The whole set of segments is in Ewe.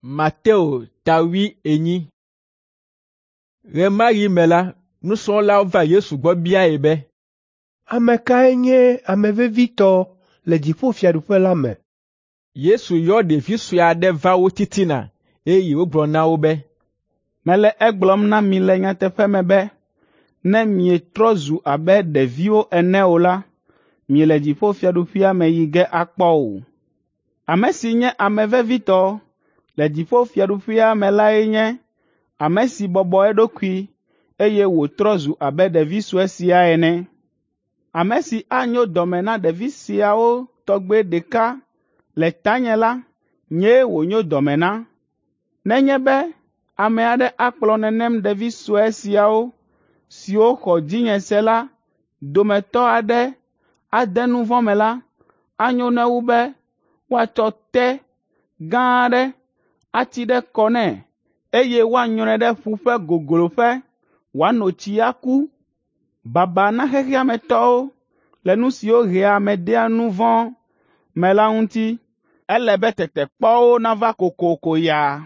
Mateo ta 40. Ɣe ma ɣi me la, nusrɔ̃lawo va Yesu gbɔ biae be, “Ame kae nye ame vevitɔ le dziƒofiaɖuƒe la me?” Yesu yɔ ɖevi sue aɖe va wo titina, eye wògblɔ na wo be, “Mele egblɔm na mi le nyateƒe me be, ne mietrɔ zu abe ɖeviwo ene o la, miele dziƒofiaɖuƒea me yi ge akpɔ o. Ame si nye ame vevitɔ le dziƒofiaɖuƒea me lae nye ame si bɔbɔ eɖokui, eye wòtrɔ zu abe ɖevi sue sia ene. Ame si anyo dɔme na ɖevi siawo tɔgbe ɖeka le tanye la, nyee wònyo dɔme na. Nenye be ame aɖe akplɔ nenem ɖevi sue siawo siwo xɔ dzinye se la dometɔ aɖe ade nu vɔ̃ me la, anyo nɛ wu be woatsɔ té gã aɖe ati ɖe kɔ nɛ, eye woanyrɔe ɖe ƒu ƒe gogloƒe wòano tsi aku. Baba na xexea me tɔwo le nu siwo hea ame dea nu vɔ̃ me la ŋuti. Ele be tetekpɔwo nava kokoko ya,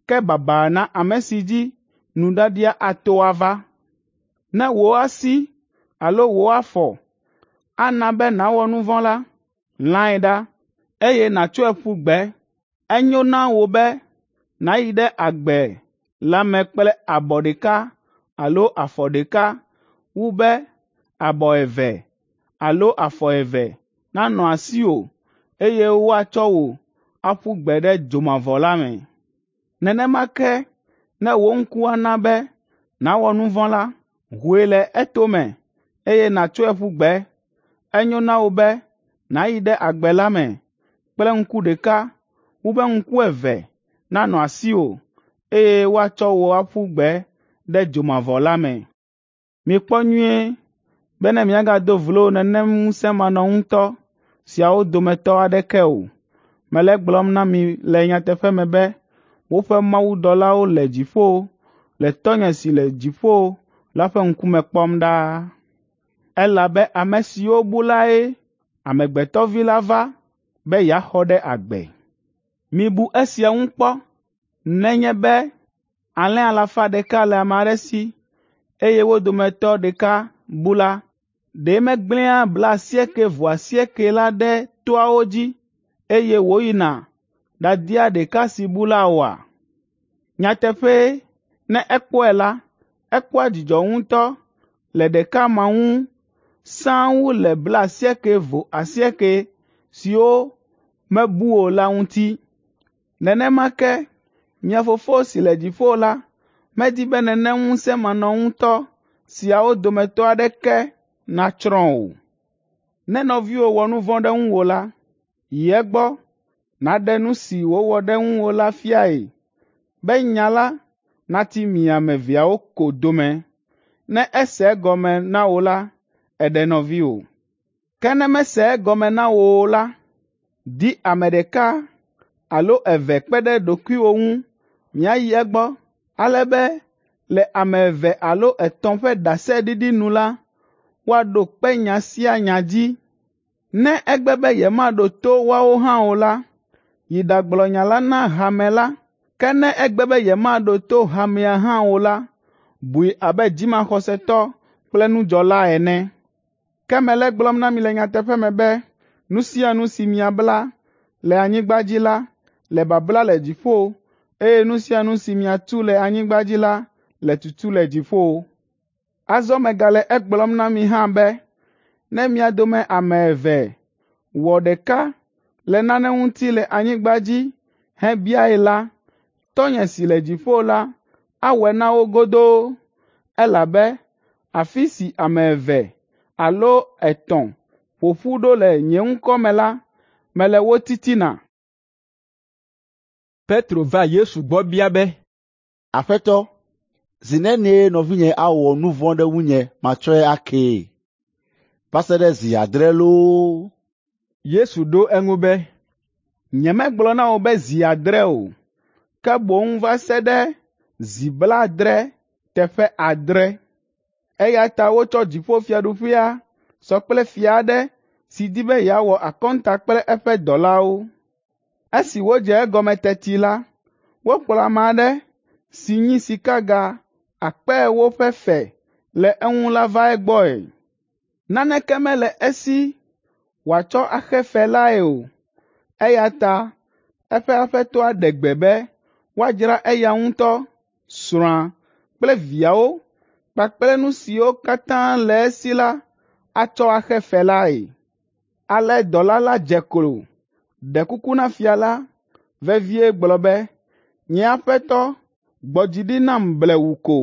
ke baba na ame si dzi nuɖaɖia ato ava. Ne wò asi alo wò afɔ ana be nàwɔ nu vɔ̃ la, lãe ɖa, eye nàtsɔe ƒu gbe. Enyo na wò be nàyi ɖe agbe la me kple abɔ ɖeka alo afɔ ɖeka wu be abɔ eve alo afɔ eve nanɔ asiwò, eye woatsɔ wò aƒu gbe ɖe dzomavɔ la me. Nenema ke ne wò ŋku ana be nàwɔ nu vɔ̃ la, hoe le etome, eye nàtsɔe ƒu gbe. Enyo na wò be nàyi ɖe agbe la me kple ŋku ɖeka wu be ŋku eve nanɔ asiwò, eye woatsɔ wò aƒu gbe ɖe dzomavɔ la me. Mikpɔ nyuie be ne miagado vlo nenem ŋusẽmanɔŋutɔ siawo dometɔ aɖeke o. Mele egblɔm na mi le nyateƒe me be woƒe mawudɔlawo le dziƒo le Tɔ́nye si le dziƒo la ƒe ŋkume kpɔm ɖaa. Elabe ame siwo bu lae Amegbetɔ Vi la va be yeaxɔ ɖe agbe. Mibu esia ŋu kpɔ nenye be alẽ alafa ɖeka le ame aɖe si, eye wo dometɔ ɖeka bu la, ɖe megblẽa 98 la ɖe toawo dzi, eye wòyina ɖadia ɖeka si bu la oa? Nyateƒee, ne ekpɔe la, ekpɔa dzidzɔ ŋutɔ le ɖeka ma ŋu sãa wu le 98 siwo mebu o la ŋuti. Nenema ke mia Fofo si le dziƒo la medi be nenem ŋusẽmanɔŋutɔ siawo dometɔ aɖeke natsrɔ̃ o. Ne nɔviwò wɔ nu vɔ̃ ɖe ŋuwò la, yi egbɔ nàɖe nu si wòwɔ ɖe ŋuwò la fiae be nya la nati mi ame eveawo ko dome. Ne ese egɔme na wò la, èɖe nɔviwò. Ke ne mese egɔme na wò o la, di ame ɖeka alo eve kpe ɖe ɖokuiwò ŋu miayi egbɔ, ale be le ame eve alo etɔ̃ ƒe ɖaseɖiɖi nu la, woaɖo kpe nya sia nya dzi. Ne egbe be yemaɖo to woawo hã o la, yi ɖagblɔ nya la na hame la. Ke ne egbe be yemaɖo to hamea hã o la, bui abe dzimaxɔsetɔ kple nudzɔla ene. Ke mele egblɔm na mi le nyateƒe me be nu sia nu si miabla le anyigba dzi la le babla le dziƒo, eye nu sia nu si miatu le anyigba dzi la le tutu le dziƒo. Azɔ megale egblɔm na mi hã be ne mia dome ame eve wɔ ɖeka le nane ŋuti le anyigba dzi hebiae la, Tɔ́nye si le dziƒo la awɔe na wo godoo, elabe afi si ame eve alo etɔ̃ ƒo ƒu ɖo le nye ŋkɔ me la, mele wo titina.” Petro va Yesu gbɔ bia be, “Aƒetɔ, zi nenie nɔvinye awɔ nu vɔ̃ ɖe ŋunye matsɔe akee? Va se ɖe zi adre loo?” Yesu ɖo eŋu be, “Nyemegblɔ na wò be zi adre o, ke boŋ va se ɖe zi blaadre teƒe adre. Eya ta wotsɔ dziƒofiaɖuƒea sɔ kple fia aɖe si di be yeawɔ akɔnta kple eƒe dɔlawo. Esi wòdze egɔme teti la, Wokplɔ ame aɖe si nyi sikaga 40,000 ƒe fe le eŋu la va egbɔe. Naneke mele esi wòatsɔ axe fe lae o, eya ta eƒe aƒetɔa ɖe gbe be woadzra eya ŋutɔ, srɔ̃a kple viawo kpakple nu siwo katã le esi la atsɔ axe fe lae. Ale dɔla la dze klo, ɖe kuku na fia la vevie gblɔ be, ‘Nye aƒetɔ, gbɔ dzi ɖi nam blewu ko,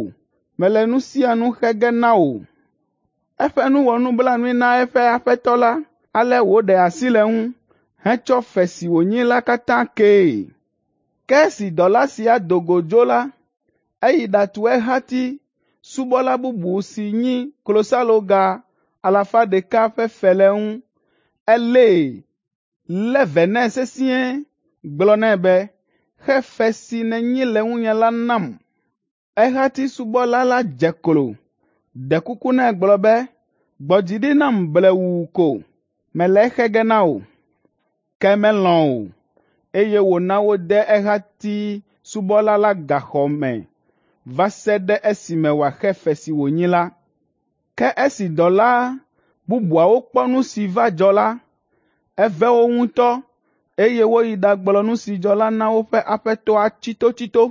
mele nu sia nu xe ge na wò.’ Eƒe nu wɔ nublanui na eƒe aƒetɔ la, ale wòɖe asi le eŋu hetsɔ fe si wònyi la katã kee. Ke esi dɔla sia do go dzo la, eyi ɖatu ehati subɔla bubu si nyi klosaloga 100 ƒe fe le eŋu. Elée, lé ve nɛ sesĩe, gblɔ nɛ be, ‘Xe fe si nènyi le ŋunye la nam.’ Ehati subɔla la dze klo, ɖe kuku nɛ gblɔ be, ‘Gbɔ dzi ɖi nam blewuu ko, mele exe ge na wò.’ Ke melɔ̃ o, eye wòna wode ehati subɔla la gaxɔ me va se ɖe esime wòaxe fe si wònyi la. Ke esi dɔla bubuawo kpɔ nu si va dzɔ la, eve wo ŋutɔ, eye woyi ɖagblɔ nu si dzɔ la na woƒe aƒetɔa tsitotsito.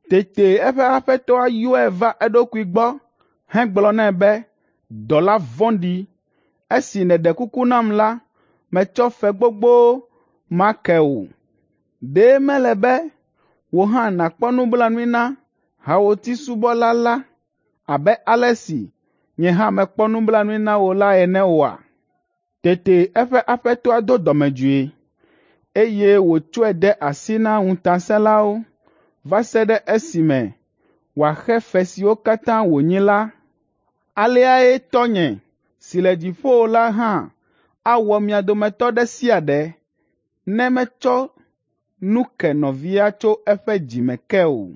Tete eƒe aƒetɔa yɔe va eɖokui gbɔ hegblɔ nɛ be, ‘Dɔla vɔ̃ɖi, esi nèɖe kuku nam la, metsɔ fe gbogbo ma ke wò. Ɖe mele be wò hã nàkpɔ nublanui na hawòti subɔla la abe ale si nye hã mekpɔ nublanui na wò la ene oa?’ Tete eƒe aƒetɔa do dɔmedzoe, eye wòtsɔe de asi na ŋutasẽlawo va se ɖe esime wòaxe fe siwo katã wònyi la. Aleae Tɔ́nye si le dziƒo la hã awɔ mia dometɔ ɖe sia ɖe ne metsɔ nu ke nɔvia tso eƒe dzi me ke o.”